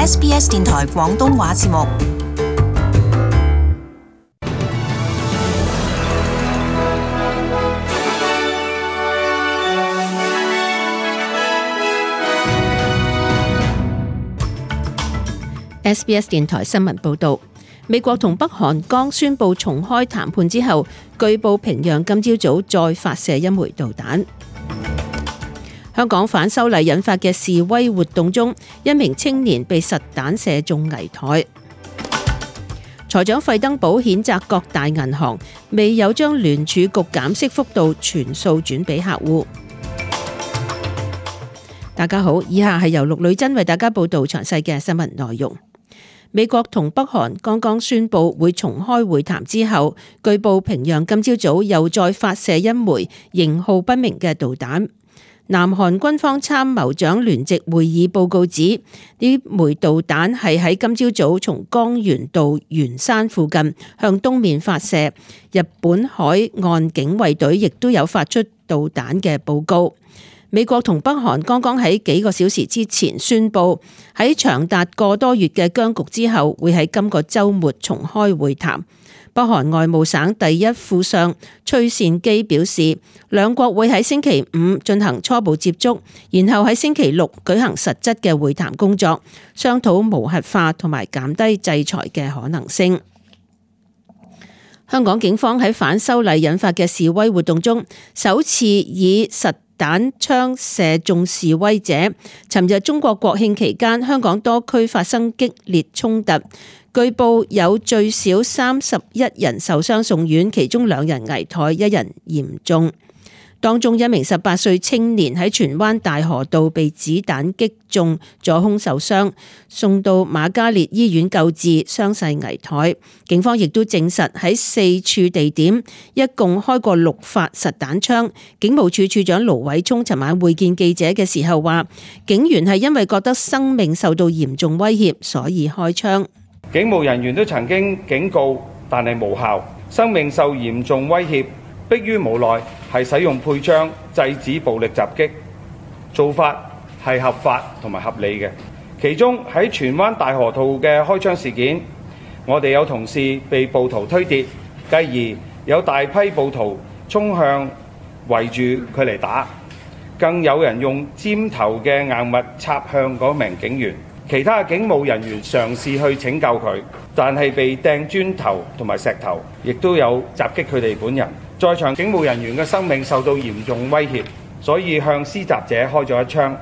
SBS 電台廣東話節目。SBS 電台新聞報導，美國同北韓剛宣布重開談判之後，據報平壤今朝早再發射一枚導彈。香港反修例引發嘅示威活動中，一名青年被實彈射中危殆。財長費登堡譴責各大銀行未有將聯儲局減息幅度全數轉俾客戶。大家好，以下係由陸女珍為大家報道詳細嘅新聞內容。美國同北韓剛剛宣布會重開會談之後，據報平壤今朝早又再發射一枚型號不明嘅導彈。南韓軍方參謀長聯席會議報告指，呢枚導彈係喺今朝早從江原道元山附近向東面發射。日本海岸警衛隊亦都有發出導彈嘅報告。美國同北韓剛剛喺幾個小時之前宣布，喺長達個多月嘅僵局之後，會喺今個週末重開會談。北韓外務省第一副相崔善基表示，兩國會喺星期五進行初步接觸，然後喺星期六舉行實質嘅會談工作，商討無核化同埋減低制裁嘅可能性。香港警方喺反修例引發嘅示威活動中，首次以實彈槍射中示威者。尋日中國國慶期間，香港多區發生激烈衝突，據報有最少31人受傷送院，其中2人危殆，1人嚴重。當中一名18歲青年喺荃灣大河道被子彈擊中左胸受傷，送到瑪嘉烈醫院救治，傷勢危殆。警方亦都證實喺4處地點一共開過6發實彈槍。警務處處長盧偉聰尋晚會見記者嘅時候話，警員係因為覺得生命受到嚴重威脅，所以開槍。警務人員都曾經警告，但係無效，生命受嚴重威脅，迫於無奈係使用配槍制止暴力襲擊，做法係合法同埋合理嘅。其中喺荃灣大河道嘅開槍事件，我哋有同事被暴徒推跌，繼而有大批暴徒衝向圍住佢嚟打，更有人用尖頭嘅硬物插向嗰名警員。其他警務人員嘗試去拯救佢，但係被掟磚頭同埋石頭，亦都有襲擊佢哋本人。在場警務人員嘅生命受到嚴重威脅，所以向施襲者開咗一槍。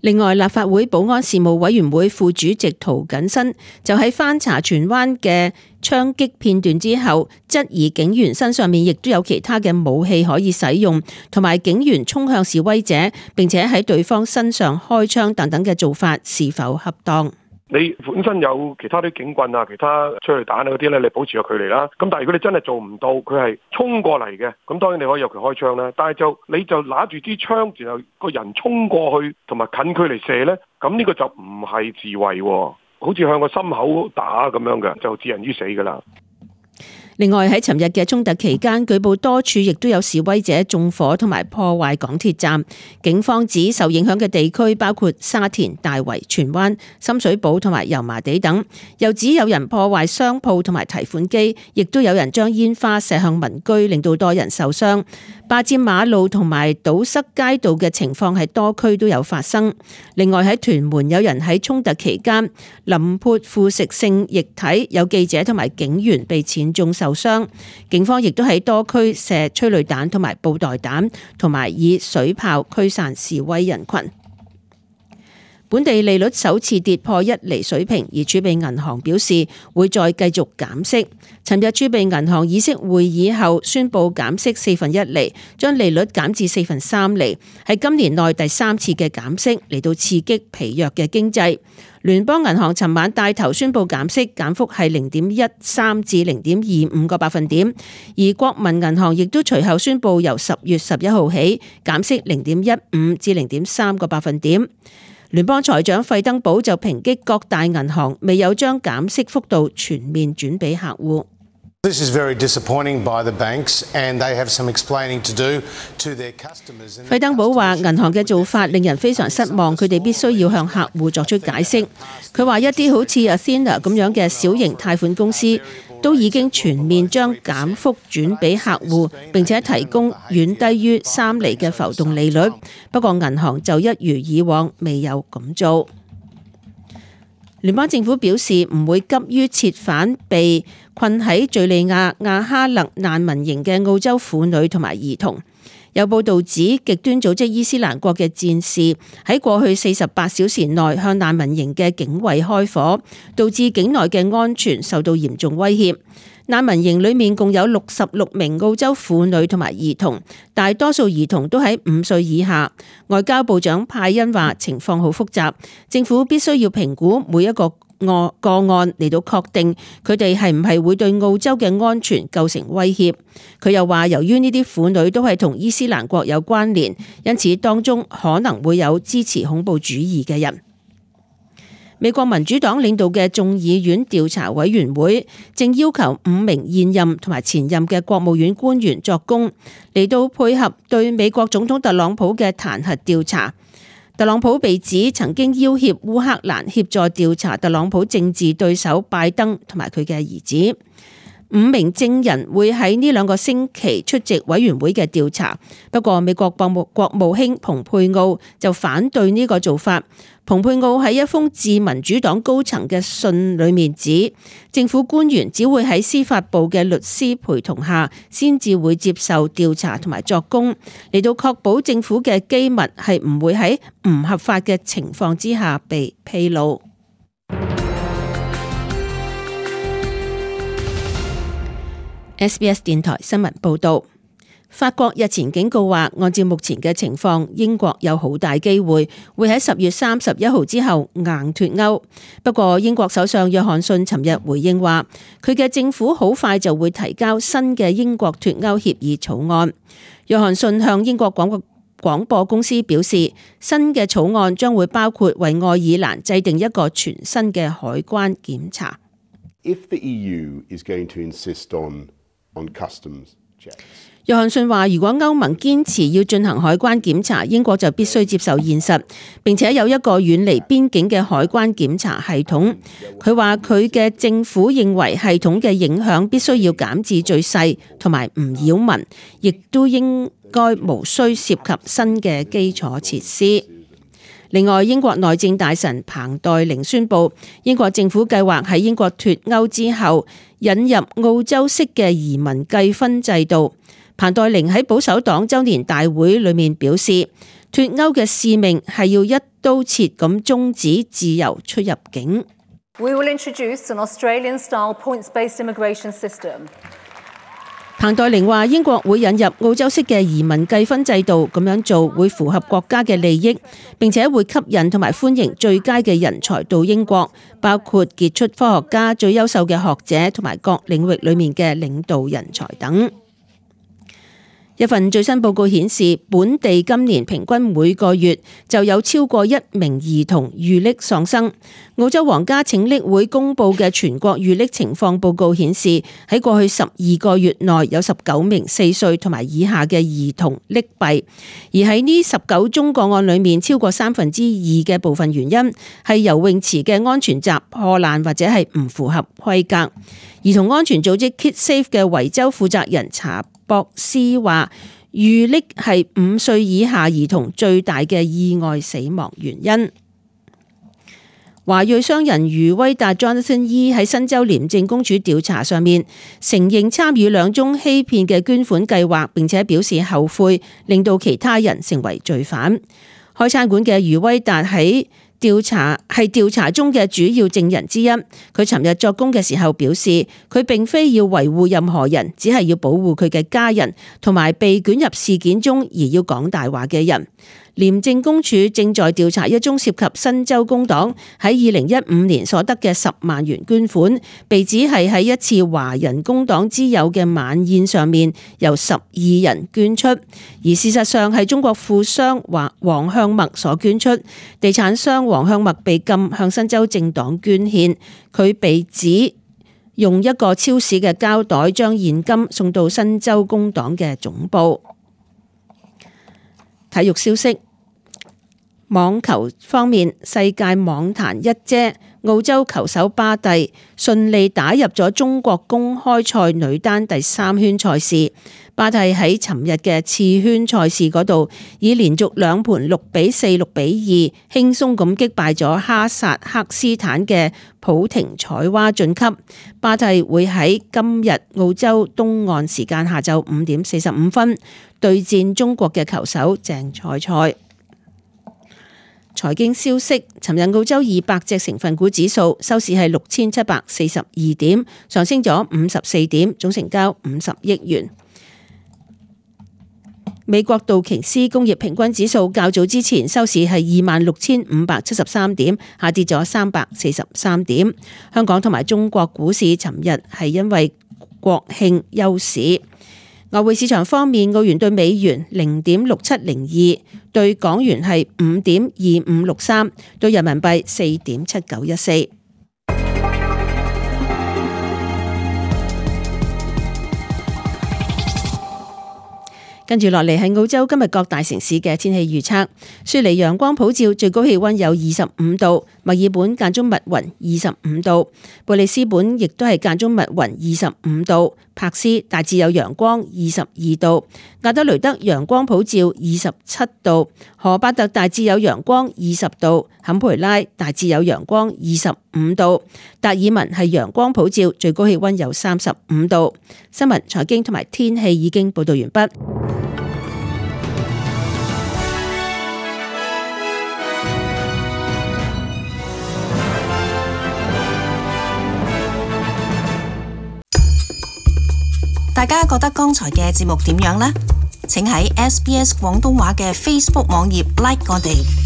另外，立法會保安事務委員會副主席涂謹申就喺翻查荃灣嘅槍擊片段之後，質疑警員身上面亦都有其他嘅武器可以使用，同埋警員衝向示威者並且喺對方身上開槍等等嘅做法是否恰當？你本身有其他啲警棍啊、其他催淚彈啊嗰啲咧，你保持個距離啦。咁但係如果你真係做唔到，佢係衝過嚟嘅，咁當然你可以有權開槍啦。但係你就拿住支槍，然後個人衝過去同埋近距離射咧，咁呢個就唔係自衛喎，好似向個心口打咁樣嘅，就置人於死㗎啦。另外喺尋日嘅衝突期間，據報多處亦都有示威者縱火同埋破壞港鐵站。警方指受影響嘅地區包括沙田、大圍、荃灣、深水埗同埋油麻地等，又指有人破壞商鋪同埋提款機，亦都有人將煙花射向民居，令到多人受傷。霸佔馬路同埋堵塞街道嘅情況係多區都有發生。另外喺屯門有人喺衝突期間淋潑腐蝕性液體，有記者同埋警員被濺中受傷。警方亦都喺多區射催淚彈同埋布袋彈，同埋以水炮驅散示威人群。本地利率首次跌破1厘水平，而儲備銀行表示會再繼續減息。尋日儲備銀行議息會議後宣布減息1/4厘，將利率減至3/4厘，係今年內第3次嘅減息，嚟到刺激疲弱嘅經濟。聯邦銀行尋晚帶頭宣布減息，減幅係0.13至0.25個百分點，而國民銀行亦都隨後宣布由10月11號起減息0.15至0.3個百分點。聯邦財長費登堡就抨擊各大銀行未有將減息幅度全面轉俾客戶。This is very disappointing by the banks, and they have some explaining to do to their customers.費登堡話：銀行嘅做法令人非常失望，佢哋必須要向客戶作出解釋。佢話一啲好似 Athena 咁樣嘅小型貸款公司都已經全面將減幅轉俾客戶，並且提供遠低於3厘嘅浮動利率。不過銀行就一如以往未有咁做。聯邦政府表示唔會急於撤返被困喺敘利亞亞哈勒難民營嘅澳洲婦女同埋兒童。有報導指，極端組織伊斯蘭國嘅戰士喺過去48小時內向難民營嘅警衛開火，導致境內嘅安全受到嚴重威脅。難民營裡面共有66名澳洲婦女同埋兒童，大多數兒童都喺5歲以下。外交部長派恩話：情況好複雜，政府必須要評估每一個個案嚟到確定佢哋係唔係會對澳洲嘅安全構成威脅。佢又話，由於呢啲婦女都係同伊斯蘭國有關聯，因此當中可能會有支持恐怖主義嘅人。美國民主黨領導嘅眾議院調查委員會正要求5名現任同埋前任嘅國務院官員作供，嚟到配合對美國總統特朗普嘅彈劾調查。特朗普被指曾經要挾烏克蘭協助調查特朗普政治對手拜登同埋佢嘅兒子。5名證人會喺呢2個星期出席委員會嘅調查，不過美國國務卿蓬佩奧就反對呢個做法。蓬佩奧喺一封致民主黨高層嘅信裏面指，政府官員只會喺司法部嘅律師陪同下，先至會接受調查同埋作供，嚟到確保政府嘅機密係唔會喺唔合法嘅情況之下被披露。SBS 電台新聞報導，法國日前警告話，按照目前嘅情況，英國有好大機會會喺10月31號之後硬脫歐。不過，英國首相約翰遜尋日回應話，佢嘅政府好快就會提交新嘅英國脫歐協議草案。約翰遜向英國廣播公司表示，新嘅草案將會包括為愛爾蘭制定一個全新嘅海關檢查。If the EU is going to insist on customs checks. 約翰遜話：如果歐盟堅持要進行海關檢查，英國就必須接受現實，並且有一個遠離邊境嘅海關檢查系統。佢話佢嘅政府認為系統嘅影響必須要減至最細，同埋唔擾民，亦都應該無需涉及新嘅基礎設施。另外，英國內政大臣彭黛玲宣布，英國政府計劃喺英國脫歐之後引入澳洲式嘅移民計分制度。彭黛玲喺保守黨週年大會裏面表示，脫歐嘅使命係要一刀切咁終止自由出入境。We will introduce an Australian-style points-based immigration system. 彭黛玲話：英國會引入澳洲式嘅移民計分制度，咁樣做會符合國家嘅利益，並且會吸引同埋歡迎最佳嘅人才到英國，包括傑出科學家、最優秀嘅學者同埋各領域裏面嘅領導人才等。一份最新報告顯示，本地今年平均每個月就有超過1名兒童遇溺喪生。澳洲皇家拯溺會公佈嘅全國遇溺情況報告顯示，喺過去12個月內有19名4歲同埋以下嘅兒童溺斃，而喺呢19宗個案裏面，超過2/3嘅部分原因係游泳池嘅安全閘破爛或者係唔符合規格。兒童安全組織 KidSafe 嘅維州負責人查博斯話，遇溺係5歲以下兒童最大嘅意外死亡原因。華裔商人余威達 Jonathan Yee 喺新州廉政公署調查上面承認參與2宗欺騙嘅捐款計劃，並且表示後悔，令到其他人成為罪犯。開餐館嘅余威達係調查中嘅主要證人之一。佢尋日作供嘅時候表示，佢並非要維護任何人，只係要保護佢嘅家人同埋被捲入事件中而要講大話嘅人。廉政公署正在調查一宗涉及新州工黨喺2015年所得嘅10萬元捐款，被指係喺一次華人工黨之友嘅晚宴上面由12人捐出，而事實上係中國富商黃向墨所捐出。地產商黃向墨被禁向新州政黨捐獻，佢被指用一個超市嘅膠袋將現金送到新州工黨嘅總部。體育消息，網球方面，世界網壇一姐澳洲球手巴蒂順利打入咗中國公開賽女單第3圈賽事。巴蒂喺尋日嘅次圈賽事嗰度，以連續2盤6-4、6-2輕鬆咁擊敗咗哈薩克斯坦嘅普廷采娃晉級。巴蒂會喺今日澳洲東岸時間下晝5點45分對戰中國嘅球手鄭賽賽。財經消息，尋日澳洲200隻成分股指數收市係6742點，上升咗54點，總成交50億元。美國道瓊斯工業平均指數較早之前收市係26,573點，下跌咗343點。香港同埋中國股市尋日係因為國慶休市。外匯市場方面，澳元對美元0.6702，對港元係5.2563，對人民幣4.7914。跟住落嚟係澳洲今日各大城市嘅天氣預測。雪梨陽光普照，最高氣溫有25度；墨爾本間中密雲25度；貝里斯本亦都係間中密雲25度；柏斯大致有陽光22度；亞德雷德陽光普照27度；荷巴特大致有陽光20度；坎培拉大致有陽光25度；達爾文係陽光普照，最高氣溫有35度。新聞、財經同埋天氣已經報道完畢。大家覺得剛才嘅節目點樣呢？請喺SBS 廣東話嘅 Facebook 網頁 like 我哋。